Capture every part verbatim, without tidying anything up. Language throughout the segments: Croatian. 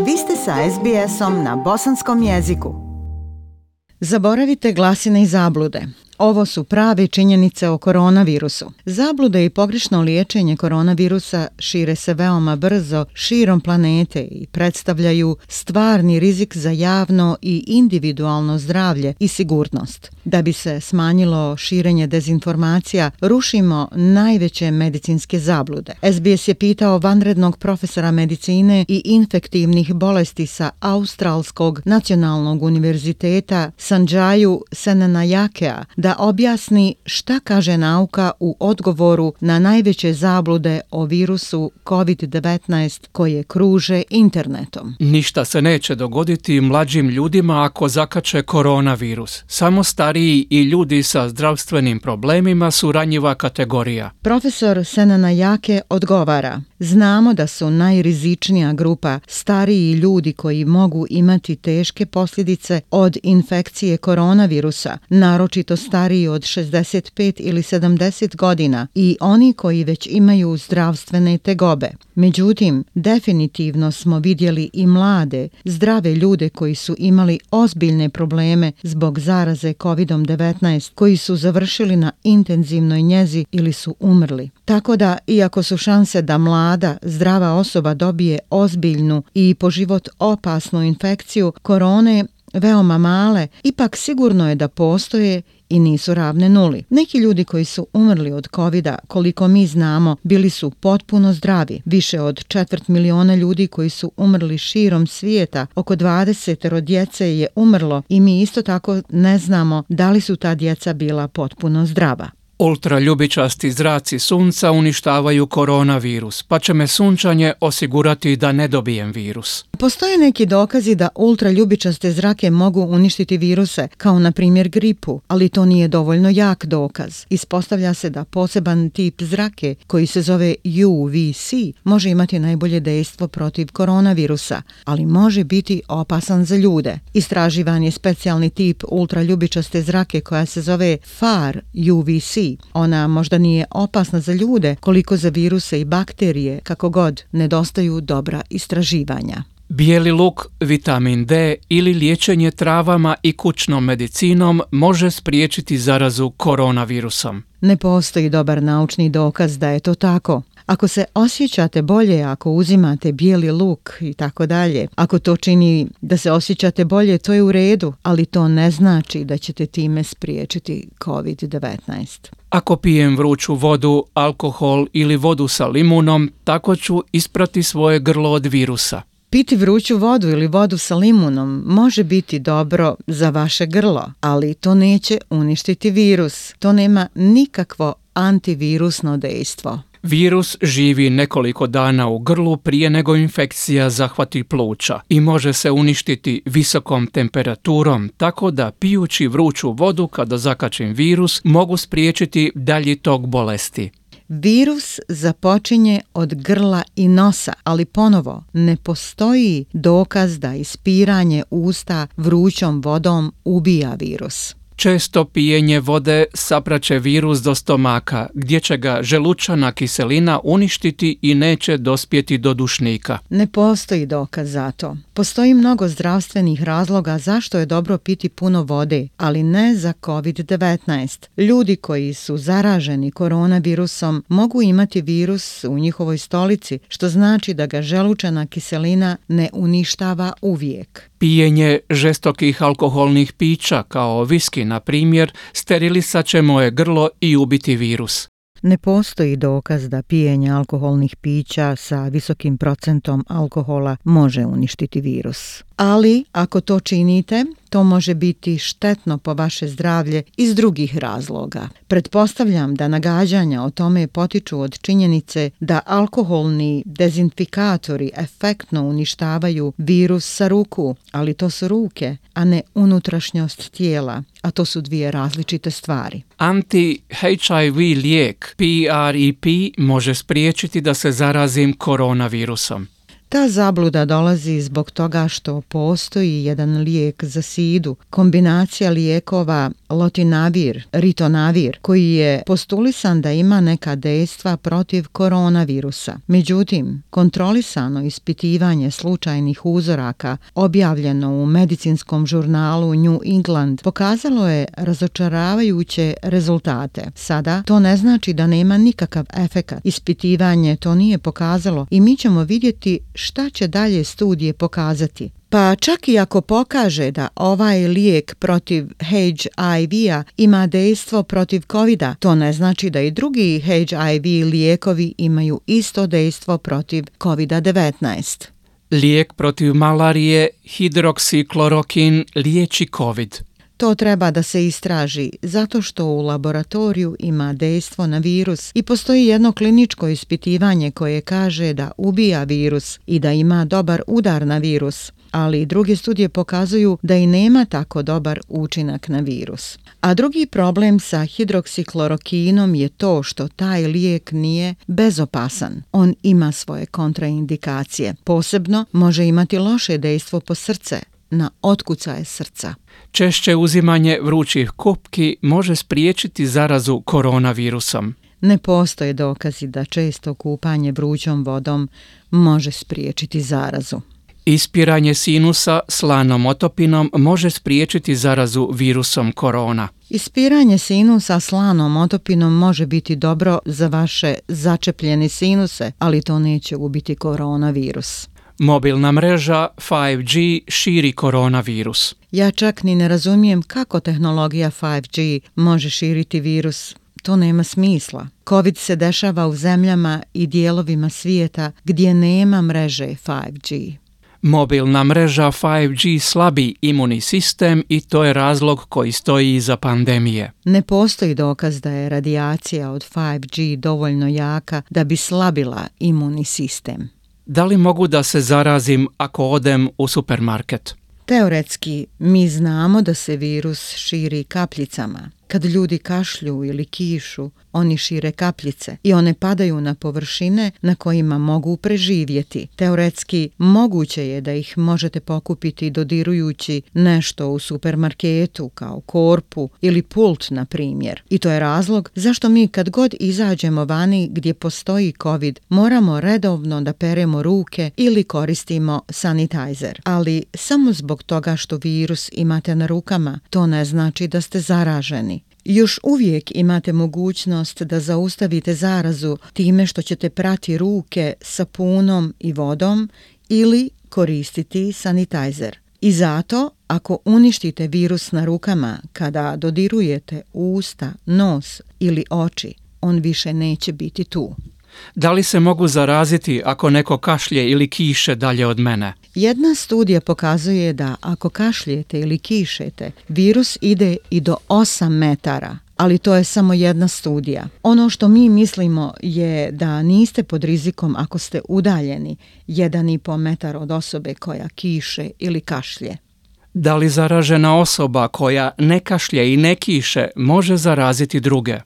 Vi ste sa es be esom na bosanskom jeziku. Zaboravite glasine i zablude. Ovo su prave činjenice o koronavirusu. Zablude i pogrešno liječenje koronavirusa šire se veoma brzo širom planete i predstavljaju stvarni rizik za javno i individualno zdravlje i sigurnost. Da bi se smanjilo širenje dezinformacija, rušimo najveće medicinske zablude. es be es je pitao vanrednog profesora medicine i infektivnih bolesti sa Australskog nacionalnog univerziteta Sanjaju Senanajakea da objasni šta kaže nauka u odgovoru na najveće zablude o virusu kovid devetnaest koje kruže internetom. Ništa se neće dogoditi mlađim ljudima ako zakače koronavirus. Samo stariji i ljudi sa zdravstvenim problemima su ranjiva kategorija. Profesor Senanajake odgovara: znamo da su najrizičnija grupa stariji ljudi koji mogu imati teške posljedice od infekcije koronavirusa, naročito stariji od šezdeset pet ili sedamdeset godina i oni koji već imaju zdravstvene tegobe. Međutim, definitivno smo vidjeli i mlade, zdrave ljude koji su imali ozbiljne probleme zbog zaraze kovid devetnaest, koji su završili na intenzivnoj njezi ili su umrli. Tako da, iako su šanse da mlada, zdrava osoba dobije ozbiljnu i po život opasnu infekciju korone veoma male, ipak sigurno je da postoje i nisu ravne nuli. Neki ljudi koji su umrli od kovida, koliko mi znamo, bili su potpuno zdravi. Više od četvrt miliona ljudi koji su umrli širom svijeta, oko dvadesetero djece je umrlo i mi isto tako ne znamo da li su ta djeca bila potpuno zdrava. Ultraljubičasti zraci sunca uništavaju koronavirus, pa će me sunčanje osigurati da ne dobijem virus. Postoje neki dokazi da ultraljubičaste zrake mogu uništiti viruse, kao na primjer gripu, ali to nije dovoljno jak dokaz. Ispostavlja se da poseban tip zrake, koji se zove U V C, može imati najbolje dejstvo protiv koronavirusa, ali može biti opasan za ljude. Istraživan je specijalni tip ultraljubičaste zrake koja se zove Far U V C. Ona možda nije opasna za ljude koliko za viruse i bakterije, kako god, nedostaju dobra istraživanja. Bijeli luk, vitamin D ili liječenje travama i kućnom medicinom može spriječiti zarazu koronavirusom. Ne postoji dobar naučni dokaz da je to tako. Ako se osjećate bolje ako uzimate bijeli luk i tako dalje, ako to čini da se osjećate bolje, to je u redu, ali to ne znači da ćete time spriječiti kovid devetnaest. Ako pijem vruću vodu, alkohol ili vodu sa limunom, tako ću isprati svoje grlo od virusa. Piti vruću vodu ili vodu sa limunom može biti dobro za vaše grlo, ali to neće uništiti virus. To nema nikakvo antivirusno dejstvo. Virus živi nekoliko dana u grlu prije nego infekcija zahvati pluća i može se uništiti visokom temperaturom, tako da pijući vruću vodu kada zakačim virus mogu spriječiti dalji tok bolesti. Virus započinje od grla i nosa, ali ponovo ne postoji dokaz da ispiranje usta vrućom vodom ubija virus. Često pijenje vode sapraće virus do stomaka, gdje će ga želučana kiselina uništiti i neće dospjeti do dušnika. Ne postoji dokaz za to. Postoji mnogo zdravstvenih razloga zašto je dobro piti puno vode, ali ne za kovid devetnaest. Ljudi koji su zaraženi koronavirusom mogu imati virus u njihovoj stolici, što znači da ga želučana kiselina ne uništava uvijek. Pijenje žestokih alkoholnih pića, kao viski na primjer, sterilisat će moje grlo i ubiti virus. Ne postoji dokaz da pijenje alkoholnih pića sa visokim procentom alkohola može uništiti virus. Ali, ako to činite, to može biti štetno po vaše zdravlje iz drugih razloga. Pretpostavljam da nagađanja o tome potiču od činjenice da alkoholni dezinfikatori efektno uništavaju virus sa ruku, ali to su ruke, a ne unutrašnjost tijela, a to su dvije različite stvari. Anti-H I V lijek P R E P može spriječiti da se zarazim koronavirusom. Ta zabluda dolazi zbog toga što postoji jedan lijek za sidu. Kombinacija lijekova lotinavir, ritonavir, koji je postulisan da ima neka dejstva protiv koronavirusa. Međutim, kontrolisano ispitivanje slučajnih uzoraka objavljeno u medicinskom žurnalu New England pokazalo je razočaravajuće rezultate. Sada to ne znači da nema nikakav efekat. Ispitivanje to nije pokazalo i mi ćemo vidjeti šta će dalje studije pokazati. Pa čak i ako pokaže da ovaj lijek protiv H I V-a ima dejstvo protiv covida, to ne znači da i drugi H I V lijekovi imaju isto dejstvo protiv kovid devetnaest. Lijek protiv malarije, hidroksiklorokin, liječi COVID. To treba da se istraži zato što u laboratoriju ima dejstvo na virus i postoji jedno kliničko ispitivanje koje kaže da ubija virus i da ima dobar udar na virus, ali druge studije pokazuju da i nema tako dobar učinak na virus. A drugi problem sa hidroksiklorokinom je to što taj lijek nije bezopasan. On ima svoje kontraindikacije. Posebno može imati loše dejstvo po srce, na otkucaje srca. Češće uzimanje vrućih kupki može spriječiti zarazu koronavirusom. Ne postoje dokazi da često kupanje vrućom vodom može spriječiti zarazu. Ispiranje sinusa slanom otopinom može spriječiti zarazu virusom korona. Ispiranje sinusa slanom otopinom može biti dobro za vaše začepljene sinuse, ali to neće ubiti koronavirus. Mobilna mreža five G širi koronavirus. Ja čak ni ne razumijem kako tehnologija five G može širiti virus. To nema smisla. COVID se dešava u zemljama i dijelovima svijeta gdje nema mreže five G. Mobilna mreža five G slabi imunni sistem i to je razlog koji stoji iza pandemije. Ne postoji dokaz da je radijacija od five G dovoljno jaka da bi slabila imunni sistem. Da li mogu da se zarazim ako odem u supermarket? Teoretski, mi znamo da se virus širi kapljicama. Kad ljudi kašlju ili kišu, oni šire kapljice i one padaju na površine na kojima mogu preživjeti. Teoretski, moguće je da ih možete pokupiti dodirujući nešto u supermarketu kao korpu ili pult, na primjer. I to je razlog zašto mi kad god izađemo vani gdje postoji COVID, moramo redovno da peremo ruke ili koristimo sanitizer. Ali samo zbog toga što virus imate na rukama, to ne znači da ste zaraženi. Još uvijek imate mogućnost da zaustavite zarazu time što ćete prati ruke sapunom i vodom ili koristiti sanitizer. I zato, ako uništite virus na rukama kada dodirujete usta, nos ili oči, on više neće biti tu. Da li se mogu zaraziti ako neko kašlje ili kiše dalje od mene? Jedna studija pokazuje da ako kašljete ili kišete, virus ide i do osam metara. Ali to je samo jedna studija. Ono što mi mislimo je da niste pod rizikom ako ste udaljeni jedan i po metar od osobe koja kiše ili kašlje. Da li zaražena osoba koja ne kašlje i ne kiše može zaraziti druge?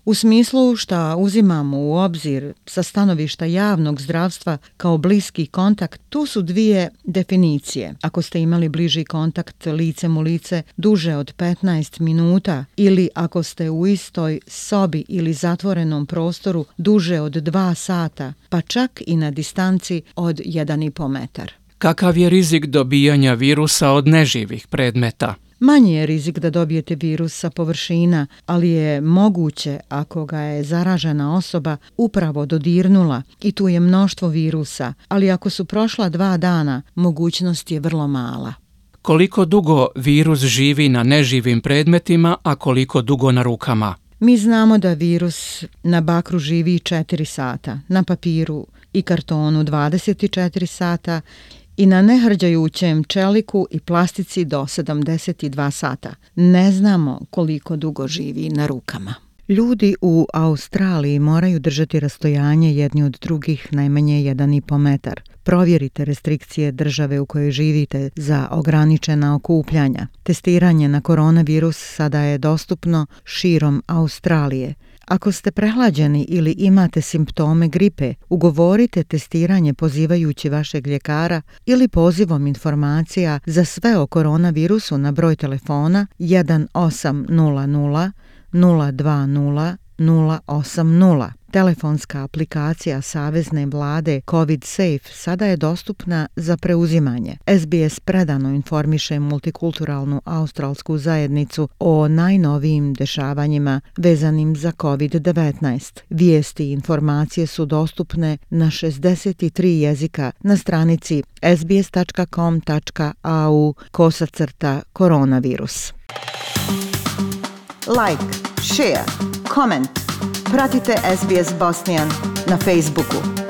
U smislu što uzimamo u obzir sa stanovišta javnog zdravstva kao bliski kontakt, tu su dvije definicije. Ako ste imali bliži kontakt licem u lice duže od petnaest minuta ili ako ste u istoj sobi ili zatvorenom prostoru duže od dva sata, pa čak i na distanci od jedan i po metar. Kakav je rizik dobijanja virusa od neživih predmeta? Manji je rizik da dobijete virus sa površina, ali je moguće ako ga je zaražena osoba upravo dodirnula i tu je mnoštvo virusa, ali ako su prošla dva dana, mogućnost je vrlo mala. Koliko dugo virus živi na neživim predmetima, a koliko dugo na rukama? Mi znamo da virus na bakru živi četiri sata, na papiru i kartonu dvadeset četiri sata i na nehrđajućem čeliku i plastici do sedamdeset dva sata. Ne znamo koliko dugo živi na rukama. Ljudi u Australiji moraju držati rastojanje jedni od drugih najmanje jedan i po metar. Provjerite restrikcije države u kojoj živite za ograničena okupljanja. Testiranje na koronavirus sada je dostupno širom Australije, Ako ste prehlađeni ili imate simptome gripe, ugovorite testiranje pozivajući vašeg ljekara ili pozivom informacija za sve o koronavirusu na broj telefona jedan osam nula nula nula dva nula nula osam nula. Telefonska aplikacija Savezne vlade COVID Safe sada je dostupna za preuzimanje. S B S predano informiše multikulturalnu australsku zajednicu o najnovijim dešavanjima vezanim za COVID devetnaest. Vijesti i informacije su dostupne na šezdeset tri jezika na stranici s b s tačka com tačka a u kosacrta koronavirus. Like, share, comment. Pratite S B S Bosnian na Facebooku.